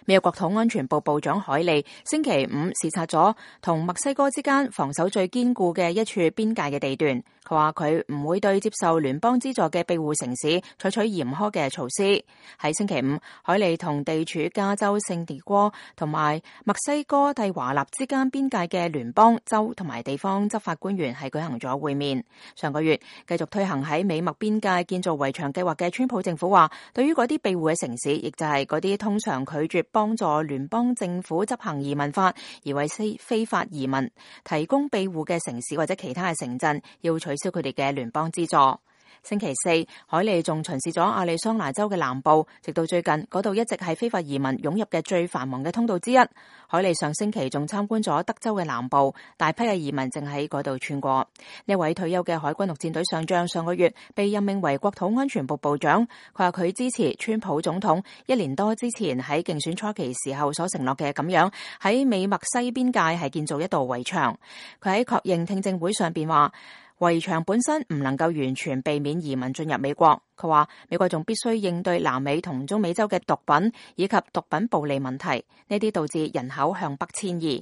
美國國土安全部部長海利星期五視察咗同墨西哥之間防守最堅固嘅一處邊界嘅地段。佢話佢唔會對接受聯邦資助嘅庇護城市採取嚴苛嘅措施。喺星期五，海利同地處加州聖地戈同埋墨西哥蒂華納之間邊界嘅聯邦、州同埋地方執法官員係舉行咗會面。上個月繼續推行喺美墨邊界建造圍牆計劃嘅川普政府話，對於嗰啲庇護嘅城市，亦就係嗰啲通常拒絕幫助聯邦政府執行移民法而為非法移民提供庇護嘅城市或者其他嘅城鎮，要取消佢哋嘅聯邦資助。星期四，海利仲巡視咗亞利桑那州嘅南部，直到最近嗰度一直係非法移民湧入嘅最繁忙嘅通道之一。海利上星期仲參觀咗德州嘅南部，大批嘅移民正喺嗰度穿過。呢位退休嘅海軍陸戰隊上將上個月被任命為國土安全部部長，佢話佢支持川普總統1年多之前喺競選初期時候所承諾嘅咁樣，喺美墨西邊界係建造一道圍牆。佢喺確認聽證會上邊話，圍牆本身唔能夠完全避免移民進入美國。佢話美國仲必須應對南美同中美洲嘅毒品以及毒品暴利問題，呢啲導致人口向北遷移。